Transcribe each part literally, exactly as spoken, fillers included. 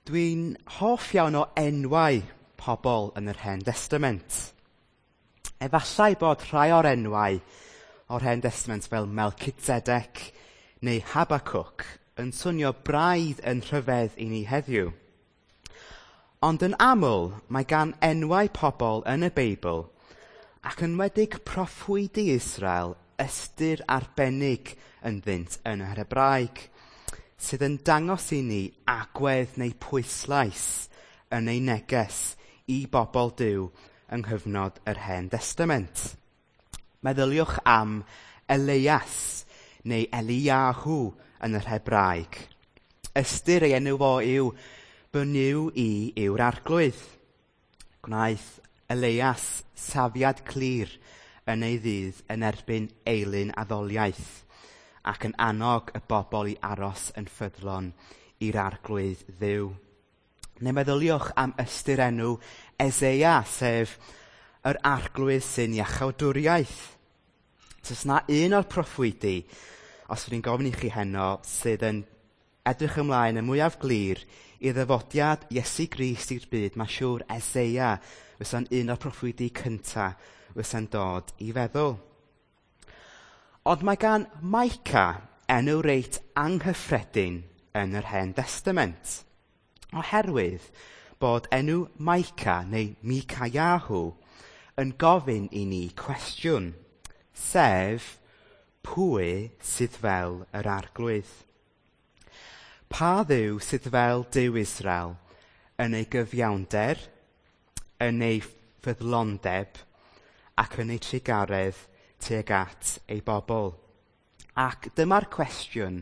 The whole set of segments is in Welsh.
Dwi'n hoff iawn o enwau pobl yn yr Hen Destament. Efallai bod rhai o'r enwau o'r Hen Destament fel Melchizedek neu Habakkuk yn swnio braidd yn rhyfedd i ni heddiw. Ond yn aml, mae gan enwau pobl yn y Beibl ac yn enwedig proffwydi Israel ystyr arbennig ynddynt yn yr Hebraeg, sydd yn dangos i ni agwedd neu pwyslais yn ei neges i bobl Duw yng nghyfnod yr Hen Destament. Meddyliwch am Elias neu Eliyahu yn yr Hebraeg. Ystyr ei enw fo yw fy Nuw i yw'r Arglwydd. Gwnaeth Elias safiad clir yn ei ddydd yn erbyn eilun addoliaeth ac yn annog y bobl i aros yn ffyddlon i'r Arglwydd Dduw. Neu meddyliwch am ystyr enw Eseia, sef yr Arglwydd sy'n iachawdwriaeth. Oes 'na un o'r proffwydi, os ydyn ni'n gofyn i chi heno, sydd yn edrych ymlaen y mwyaf glir i ddyfodiad Iesu Grist i'r byd, mae siŵr Eseia fysa'n un o'r proffwydi cyntaf fysa'n dod i feddwl. Ond mae gan Micah enw reit anghyffredin yn yr Hen Destament, oherwydd bod enw Micah neu Micayahu yn gofyn i ni cwestiwn, sef pwy sydd fel yr Arglwydd? Pa Dduw sydd fel Duw Israel yn ei gyfiawnder, yn ei ffyddlondeb ac yn ei trugaredd tuag at ei bobl? Ac dyma'r cwestiwn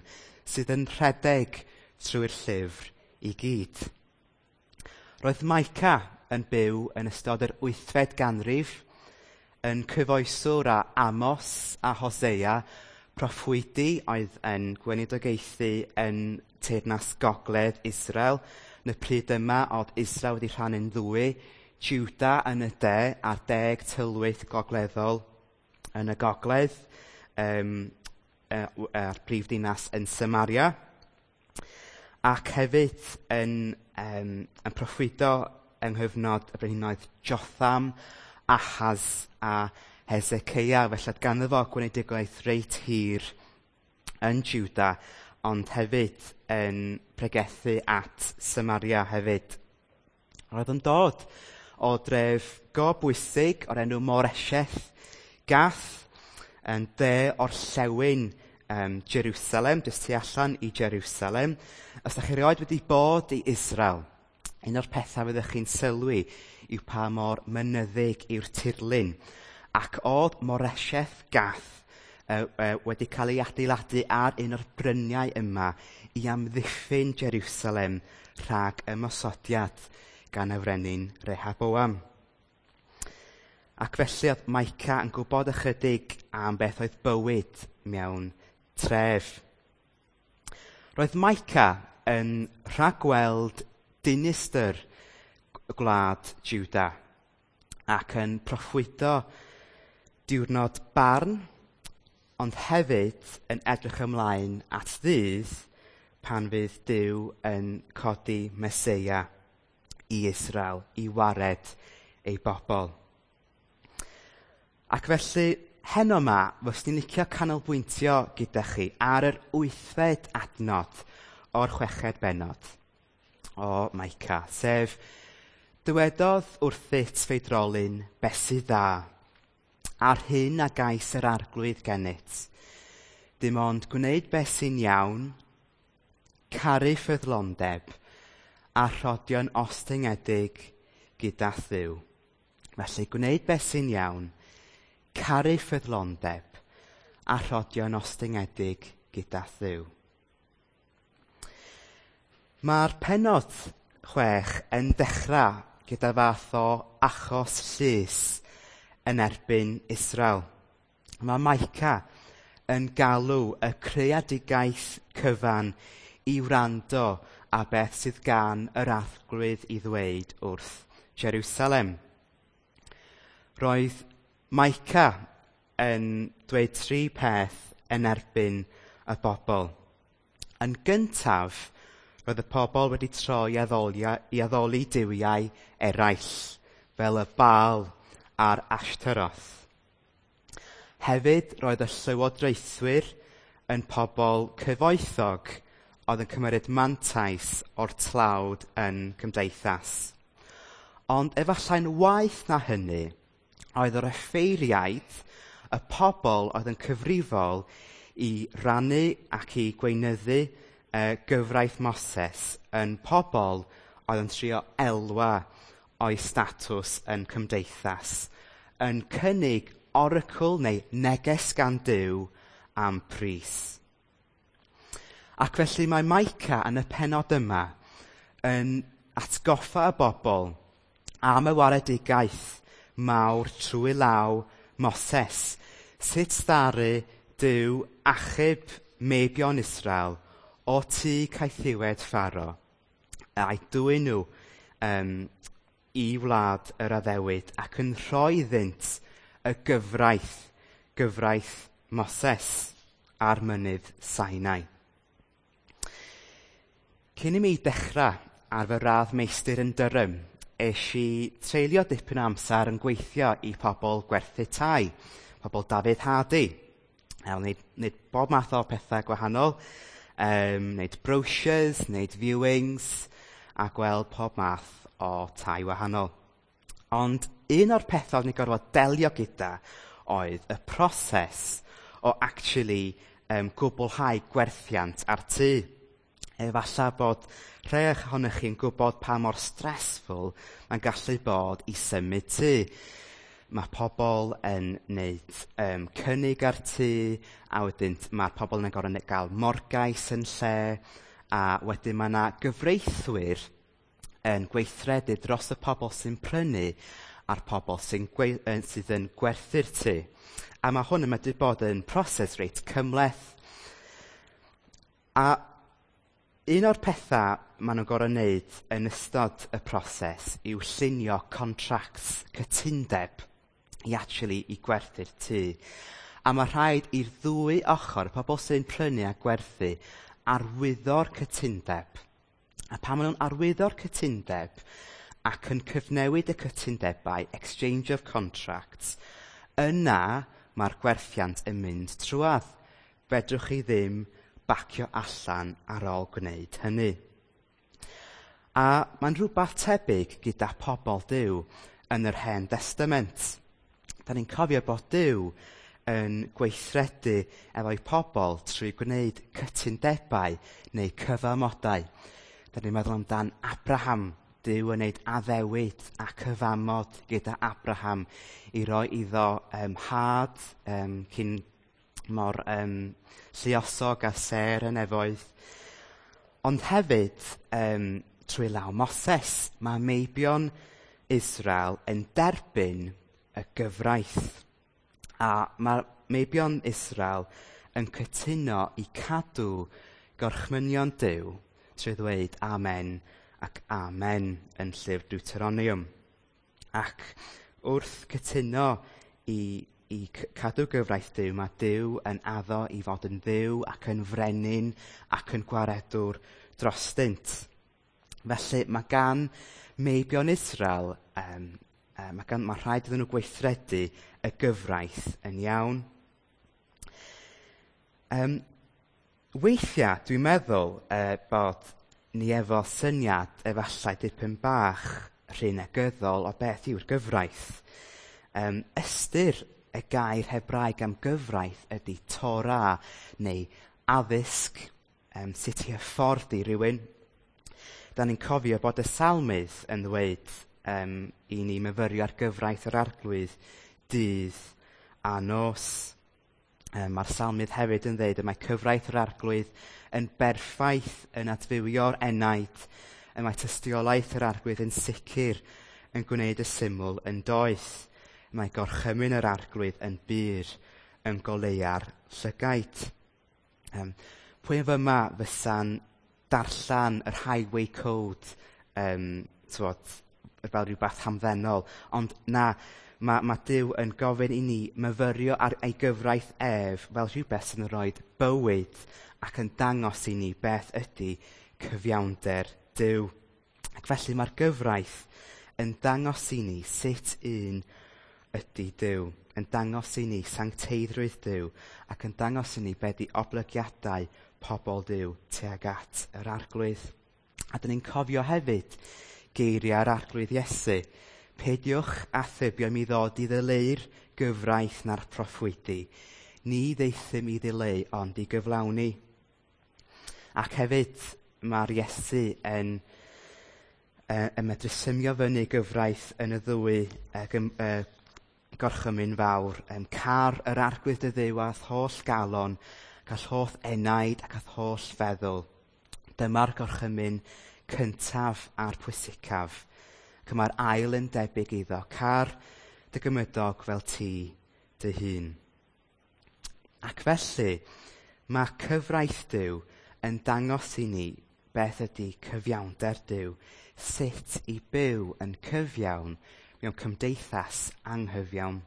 sydd yn rhedeg trwy'r llyfr i gyd. Roedd Micah yn byw yn ystod yr wythfed ganrif, yn cyfoeswr â Amos a Hosea, proffwydi oedd yn gweinidogaethu yn teyrnas gogledd Israel. Yn y pryd yma oedd Israel wedi rhannu'n ddwy, Juda yn y de a'r deg tylwyth gogleddol yn y gogledd, um, a'r prif ddinas yn Samaria, ac hefyd yn, um, yn proffwydo yng nghyfnod y brenhinoedd Jotham, Ahaz a Hezekiah. Felly ganddo fo gweinidogaidd reit hir yn Juda, ond hefyd yn pregethu at Samaria hefyd. Roedd yn dod o dref go bwysig o'r enw Moresheth Gath, yn de orllewin um, Jerusalem, jyst tu allan i Jerusalem. Os ydych chi erioed wedi bod i Israel, un o'r pethau fyddwch chi'n sylwi yw pa mor mynyddig yw'r tirlun. Ac oedd Moresheth Gath uh, uh, wedi cael ei adeiladu ar un o'r bryniau yma i amddiffyn Jerusalem rhag ymosodiad gan y frenin Rehoboam. Ac felly oedd Micah yn gwybod ychydig am beth oedd bywyd mewn tref. Roedd Micah yn rhagweld dinistr gwlad Juda ac yn proffwydo diwrnod barn, ond hefyd yn edrych ymlaen at ddydd pan fydd Duw yn codi Meseia i Israel i wared ei bobl. Ac felly, heno yma, fyswn i'n licio canolbwyntio gyda chi ar yr wythfed adnod o'r chweched bennod o Micah, sef dywedodd wrthyt feidrolyn beth sydd dda, a'r hyn a gais yr Arglwydd gennyt, dim ond gwneud beth sy'n iawn, caru ffyddlondeb, a rhodio'n ostyngedig gyda Dduw. Felly, gwneud beth sy'n iawn, caru ffyddlondeb, a rhodio'n ostyngedig gyda Dduw. Mae'r pennod chwech yn dechrau gyda fath o achos llys yn erbyn Israel. Mae Micah yn galw y creadigaeth cyfan i wrando a beth sydd gan yr Arglwydd i ddweud wrth Jerusalem. Roedd Micah yn dweud tri peth yn erbyn y bobl. Yn gyntaf, Roedd y pobl wedi troi i addoli duwiau eraill, fel y Baal a'r Ashtaroth. Hefyd, roedd y llywodraethwyr yn pobl cyfoethog oedd yn cymryd mantais o'r tlawd yn cymdeithas. Ond efallai'n waeth na hynny, oedd yr offeiriaid, y pobl oedd yn cyfrifol i rannu ac i gweinyddu uh, gyfraith Moses yn pobl oedd yn trio elwa o'i statws yn cymdeithas, yn cynnig oracl neu neges gan Duw am pris. Ac felly mae Micah yn y pennod yma yn atgoffa y bobl am y waredigaeth mawr trwy law Moses, sut ddaru Duw achub meibion Israel o tŷ caethiwed Pharaoh a'i dwyn nhw um, i wlad yr addewid ac yn rhoi iddynt y gyfraith, gyfraith Moses ar mynydd Sinai. Cyn i mi dechrau ar fy radd meistr yn Durham, es i treulio dipyn o amser yn gweithio i pobl gwerthu tai, pobl David Hardy. Wneud, wneud bob math o pethau gwahanol, um, wneud brochures, wneud viewings, a gweld pob math o tai wahanol. Ond un o'r pethau o'n i'n gorfod delio gyda oedd y proses o actually um, gwblhau gwerthiant ar tŷ. Efallai bod rhai ohonych chi'n gwybod pa mor stressful mae'n gallu bod i symud tŷ. Mae pobl yn wneud um, cynnig ar tŷ, a wedyn mae'r pobl yn gorfod gael morgais yn lle, a wedyn mae yna gyfreithwyr yn gweithredu dros y pobl sy'n prynu a'r pobl sy'n sydd yn gwerthu'r tŷ. A mae hwn yn medru bod yn proses reit cymhleth. A un o'r pethau maen nhw'n gorfod wneud yn ystod y proses yw llunio contracts, cytundeb, i actually i gwerthu'r tŷ. A mae rhaid i'r ddwy ochr, y pobl sy'n prynu a gwerthu, arwyddo'r cytundeb. A pan maen nhw'n arwyddo'r cytundeb ac yn cyfnewid y cytundebau, exchange of contracts, yna mae'r gwerthiant yn mynd trwadd. Fedrwch chi ddim bacio allan ar ôl gwneud hynny. A mae'n rhywbeth tebyg gyda pobl Duw yn yr Hen Testament. Da ni'n cofio bod Duw yn gweithredu efo'i pobl trwy gwneud cytundebau neu cyfamodau. Da ni'n meddwl amdan Abraham, Duw yn gwneud addewid a cyfamod gyda Abraham i roi iddo um, had um, cyn mor um, lluosog a sêr y nefoedd. Ond hefyd, um, trwy law Moses, mae meibion Israel yn derbyn y gyfraith. A mae meibion Israel yn cytuno i cadw gorchmynion Duw trwy ddweud amen ac amen yn llyfr Deuteronomium. Ac wrth cytuno i, i cadw gyfraith Duw, mae Duw yn addo i fod yn Dduw ac yn frenin ac yn gwaredwr drostynt. Felly mae gan meibion Israel, um, uh, mae, gan, mae rhaid iddyn nhw gweithredu y gyfraith yn iawn. Um, weithiau, dwi'n meddwl uh, bod ni efo syniad efallai dipyn bach rhy negyddol o beth yw'r gyfraith. Um, ystyr y gair Hebraeg am gyfraith ydy Torah neu addysg, um, sut i hyfforddi rhywun. Da ni'n cofio bod y salmydd yn dweud um, i ni myfyrio ar gyfraith yr Arglwydd dydd a nos. Um, mae'r salmydd hefyd yn dweud y mae cyfraith yr Arglwydd yn berffaith yn adfywio'r enaid, y mae tystiolaeth yr Arglwydd yn sicr yn gwneud y syml yn doeth. Mae gorchymyn yr Arglwydd yn bur yn goleua'r llygaid. Um, pwy yn fyma fysa'n darllen yr highway code um, t'wod, fel rhywbeth hamddenol, ond na, mae, mae Duw yn gofyn i ni myfyrio ar ei gyfraith ef fel rhywbeth sy'n rhoi bywyd ac yn dangos i ni beth ydy cyfiawnder Duw. Ac felly mae'r gyfraith yn dangos i ni sut un ydy Duw, yn dangos i ni sancteiddrwydd Duw ac yn dangos i ni be di oblygiadau pobl Duw tuag at yr Arglwydd. A dyn ni'n cofio hefyd geiriau'r Arglwydd Iesu: "Peidiwch â thybio mi ddod i ddileu'r gyfraith na'r proffwydi. Ni ddeithum i ddileu ond i gyflawni." Ac hefyd mae'r Iesu yn, uh, yn medru symio fyny gyfraith yn y ddwy uh, gym, uh, gorchymyn fawr. Um, car yr Arglwydd dy Dduw â'th holl galon, ac â'th holl enaid ac â'th holl feddwl. Dyma'r gorchymyn cyntaf a'r pwysicaf. Ac mae'r ail yn debyg iddo: car dy gymydog fel ti dy hun. Ac felly, mae cyfraith Duw yn dangos i ni beth ydy cyfiawnder Duw, sut i byw yn cyfiawn mewn cymdeithas anghyfiawn.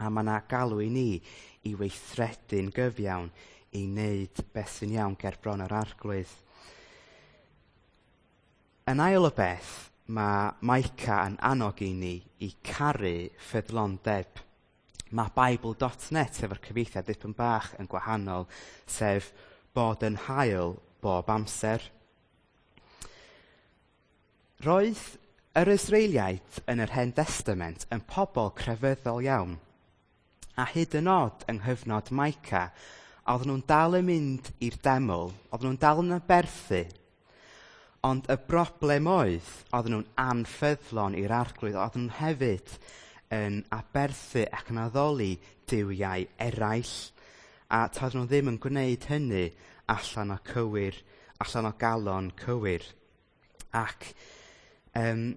A mae yna galw i ni i weithredu'n gyfiawn, i wneud beth sy'n iawn ger bron yr Arglwydd. Yn ail o beth, mae Micah yn annog i ni i caru ffyddlondeb. Mae Bible dot net efo'r cyfieithiad dipyn bach yn gwahanol, sef bod yn hael bob amser. Roedd yr Israeliaid yn yr Hen Testament yn pobl crefyddol iawn. A hyd yn oed yng nghyfnod Micah, oedden nhw'n dal yn mynd i'r deml, oedden nhw'n dal yn aberthu. Ond y broblem oedd, oedden nhw'n anffyddlon i'r Arglwydd, oedden nhw'n hefyd yn aberthu ac yn addoli duwiau eraill. A toedden nhw ddim yn gwneud hynny allan o cywir, allan o galon cywir. Ac um,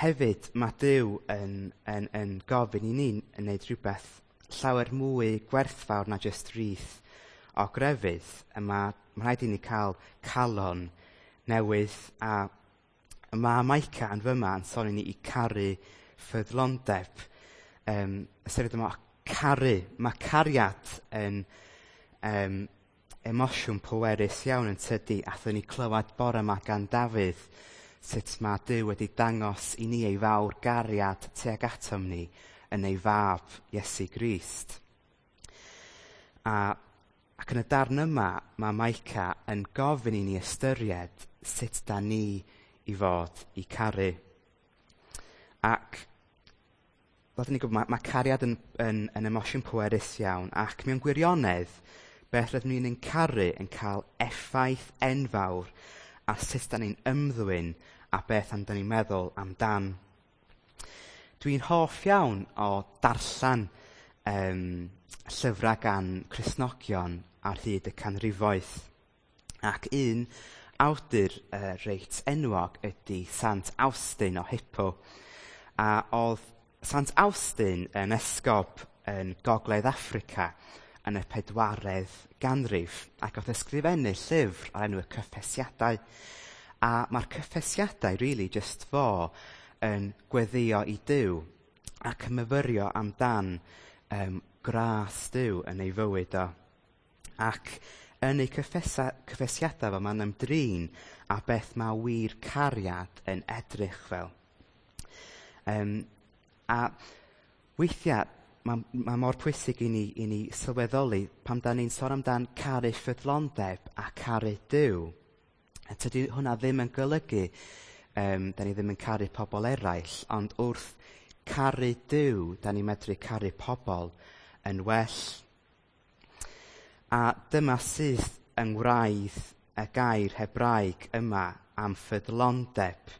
hefyd mae Duw yn, yn, yn gofyn i ni yn gwneud rhywbeth llawer mwy gwerthfawr na jyst rith o grefydd. A mae, mae rhaid i ni cael calon newydd, a mae Micah yn fyma yn sôn i ni i caru ffyddlondeb. Um, ystyried yma caru. Mae cariad yn um, emosiwn pwerus iawn, yn tydi? Athon ni clywed bore yma gan Dafydd sut mae Duw wedi dangos i ni ei fawr gariad tuag atom ni yn ei fab Iesu Grist. A, ac yn y darn yma, mae Micah yn gofyn i ni ystyried sut da ni i fod i caru. Ac fel ni gwybod, mae, mae cariad yn, yn, yn emosiwn pwerus iawn, ac mewn gwirionedd, beth rydym ni'n caru yn cael effaith enfawr ar sut da ni'n ymddwyn a beth am da ni'n meddwl amdan. Dwi'n hoff iawn o darllen um, llyfrau gan Cristnogion ar hyd y canrifoedd. Ac un awdur uh, reit enwog ydy Sant Awstin o Hippo. A oedd Sant Awstin yn esgob yn Gogledd Affrica yn y pedwaredd ganrif ac oedd ysgrifennu llyfr o'r enw Y Cyffesiadau. A mae'r Cyffesiadau really just fo yn gweddio i Duw ac yn myfyrio amdan um, gras Duw yn ei fywyd o. Ac yn ei cyffesa, cyffesiadau fo, mae'n ymdrin a beth mae wir cariad yn edrych fel. Um, a weithiau mae, mae mor pwysig i ni, i ni sylweddoli pam da ni'n sôn amdan caru ffyddlondeb a caru Duw. A tydi hwnna ddim yn golygu um, da ni ddim yn caru pobl eraill, ond wrth caru Duw, da ni'n medru caru pobl yn well. A dyma sydd yng ngwraidd y gair Hebraeg yma am ffyddlondeb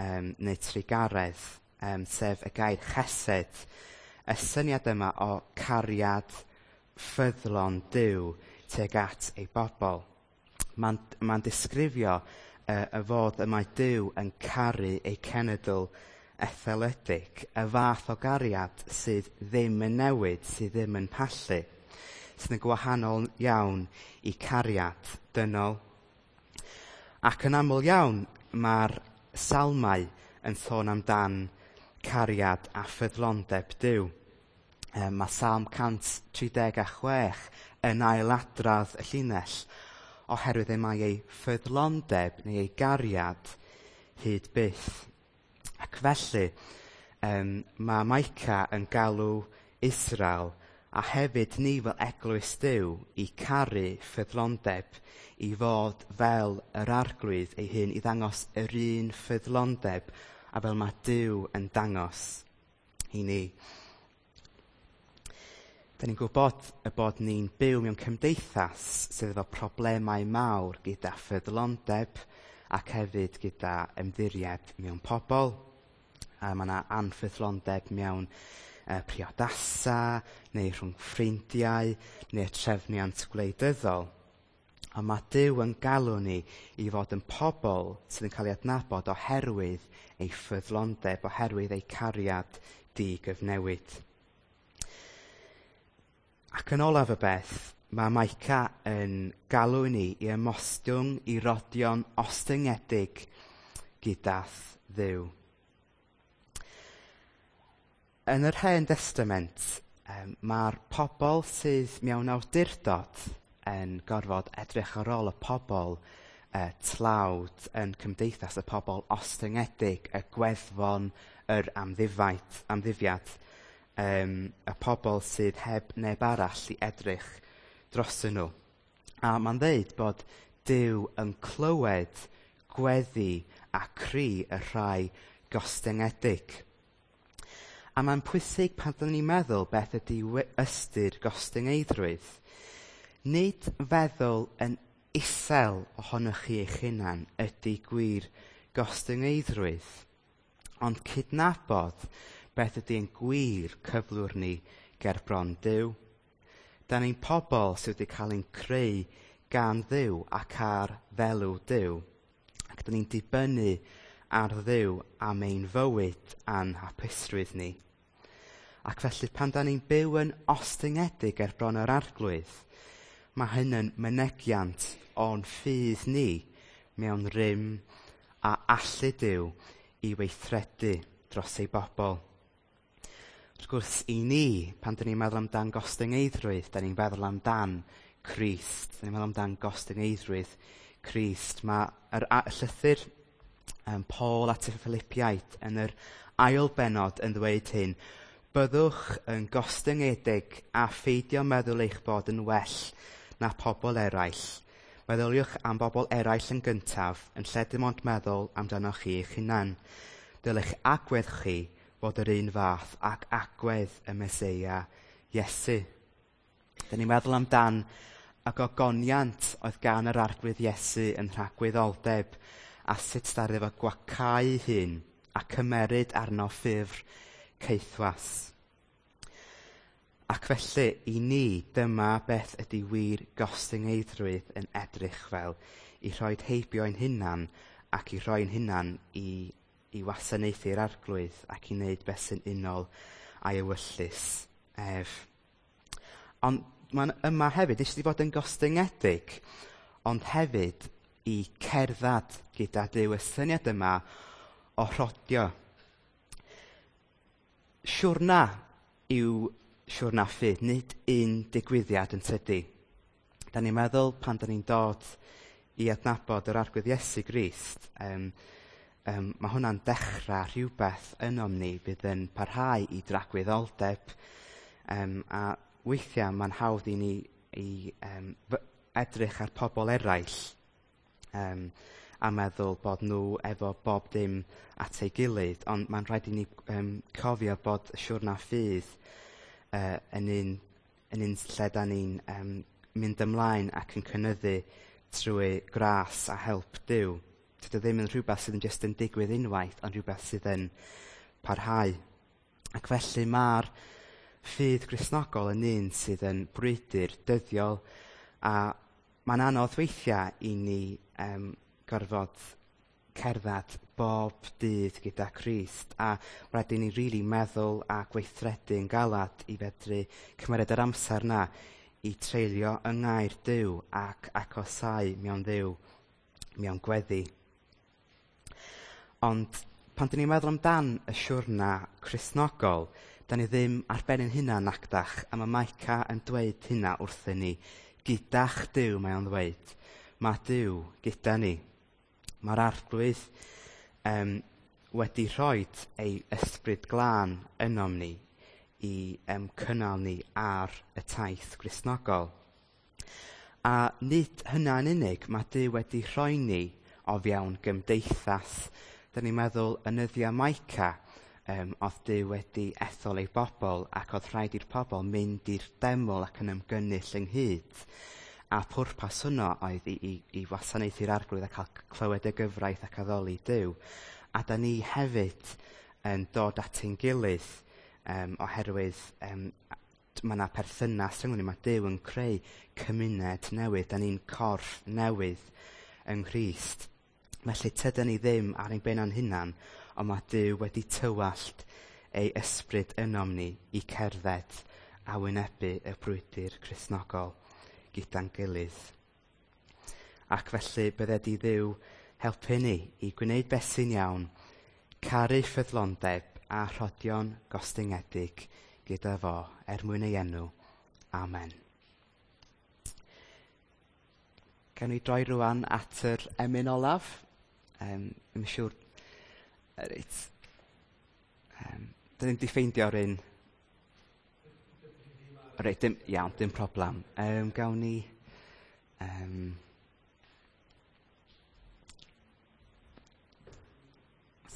um, neu trugaredd, um, sef y gair chesed, y syniad yma o cariad ffyddlon Duw tuag at ei bobl. Mae'n ma disgrifio uh, y fod y mae Duw yn caru ei cenedl etholedig, y fath o gariad sydd ddim yn newid, sydd ddim yn pallu, sydd yn gwahanol iawn i cariad dynol. Ac yn aml iawn mae'r salmau yn sôn amdan cariad a ffyddlondeb Duw. Um, mae Salm cant tri deg chwech yn ailadrodd y llinell: oherwydd y mae ei ffyddlondeb neu ei gariad hyd byth. Ac felly, um, mae Micah yn galw Israel a hefyd ni fel eglwys Duw i caru ffyddlondeb, i fod fel yr Arglwydd ei hun, i ddangos yr un ffyddlondeb a fel mae Duw yn dangos i ni. Da ni'n gwybod y bod ni'n byw mewn cymdeithas sydd efo problemau mawr gyda ffyddlondeb ac hefyd gyda ymddiried mewn pobl. A mae yna anffyddlondeb mewn uh, priodasa, neu rhwng ffrindiau, neu trefniant gwleidyddol. Ond mae Duw yn galw ni i fod yn pobl sydd yn cael ei adnabod oherwydd ei ffyddlondeb, oherwydd ei cariad digyfnewid. Ac yn olaf y beth, mae Micah yn galw ni i ymostwng i rodio'n ostyngedig gydath Dduw. Yn yr Hen Testament, um, mae'r pobl sydd mewn awdurdod yn gorfod edrych ar ôl y pobl uh, tlawd yn cymdeithas, y pobl ostyngedig, y gweddfon, yr amddifaid, amddifiad, um, y pobl sydd heb neb arall i edrych drosyn nhw. A mae'n dweud bod Duw yn clywed gweddi a cri y rhai gostyngedig. A mae'n pwysig pan dyn ni'n meddwl beth ydy ystyr gostyngeiddrwydd. Nid feddwl yn isel ohonoch chi eich hunan ydy gwir gostyngeiddrwydd, ond cydnabod beth ydy ein gwir cyflwr ni ger bron Duw. Da ni'n pobl sydd wedi cael ein creu gan Dduw ac ar ddelw Duw, ac da ni'n dibynnu ar Dduw am ein fywyd a'n hapusrwydd ni. Ac felly pan da ni'n byw yn ostyngedig ger bron yr Arglwydd, mae hyn yn mynegiant o'n ffydd ni mewn rym a allu Duw i weithredu dros ei bobl. Wrth gwrs, i ni, pan dyn ni'n meddwl amdan gostyngeiddrwydd, da ni'n meddwl amdan Crist. Da ni'n meddwl amdan gostyngeiddrwydd Crist. Mae yr llythyr um, Paul at y Philippiaid yn yr ail bennod yn ddweud hyn: byddwch yn gostyngedig a pheidio meddwl eich bod yn well na pobl eraill. Meddyliwch am bobl eraill yn gyntaf, yn lle dim ond meddwl amdanoch chi eich hunan. Dylech agwedd chi fod yr un fath ac agwedd y Meseia Iesu. Dyn ni'n meddwl amdan y gogoniant oedd gan yr Arglwydd Iesu yn rhagwyddoldeb a sut ddaru fo gwacau hun a cymeryd arno ffurf caethwas. Ac felly, i ni, dyma beth ydy wir gostyngeiddrwydd yn edrych fel, i rhoi heibio ein hunan ac i roi'n hunan i, i wasanaethu'r Arglwydd ac i wneud beth sy'n unol a'i ewyllys ef. Ond mae'n yma hefyd eisiau fod yn gostyngedig, ond hefyd i cerdded gyda Duw, y syniad yma o rhodio. Siwrna yw siwrna ffydd, nid un digwyddiad yn tydi. Da ni'n meddwl pan da ni'n dod i adnabod yr Arglwydd Iesu Grist, um, um, mae hwnna'n dechrau rhywbeth ynom ni bydd yn parhau i dragwyddoldeb, um, a weithiau mae'n hawdd i ni i um, edrych ar pobl eraill um, a meddwl bod nhw efo bob dim at ei gilydd, ond mae'n rhaid i ni um, cofio bod siwrna ffydd uh, yn un, yn un lle da ni'n um, mynd ymlaen ac yn cynyddu trwy gras a help Duw. Dydy ddim yn rhywbeth sydd yn jyst yn digwydd unwaith, ond rhywbeth sydd yn parhau. Ac felly mae'r ffydd Gristnogol yn un sydd yn brwydr dyddiol, a mae'n anodd weithiau i ni um, gorfod cerdded bob dydd gyda Crist, a rhaid i ni rili really meddwl a gweithredu yn galad i fedru cymryd yr amser na i treulio yng ngair Duw ac agosau mewn Dduw, mewn gweddi. Ond pan dyn ni'n meddwl amdan y siwrna Cristnogol, da ni ddim ar ben ein hunan nacdach, a mae Micah yn dweud hynna wrthyn ni. Gyda'ch Duw mae o'n ddweud. Mae Duw gyda ni. Mae'r Arglwydd um, wedi rhoi ei ysbryd glân ynom ni i um, cynnal ni ar y taith Gristnogol. A nid hynna'n unig, mae Duw wedi rhoi ni o fewn gymdeithas. Dyna ni'n meddwl yn nyddiau Micah, um, oedd Duw wedi ethol ei bobl ac oedd rhaid i'r pobl mynd i'r deml ac yn ymgynnull ynghyd. A pwrpas hwnnw oedd i, i, i wasanaethu'r Arglwydd a cael clywed y gyfraith ac addoli Duw. A da ni hefyd yn dod at ein gilydd um, oherwydd um, mae yna perthynas rhwng ni. Mae Duw yn creu cymuned newydd. Da ni'n corff newydd yng Nghrist. Felly tydan ni ddim ar ein ben ein hunan, ond mae Duw wedi tywallt ei ysbryd ynom ni i cerdded a wynebu y brwydr Cristnogol gyda'n gilydd. Ac felly bydded i Dduw helpu ni i gwneud beth sy'n iawn, caru ffyddlondeb a rhodio'n gostyngedig gyda fo er mwyn ei enw. Amen. Gawn ni droi rwan at yr emyn olaf. Um, ddim siŵr. Reit. Um, dyn ni'n di ffeindio'r un. Reit, dim, iawn, dim problem. Um, gawn ni... Um,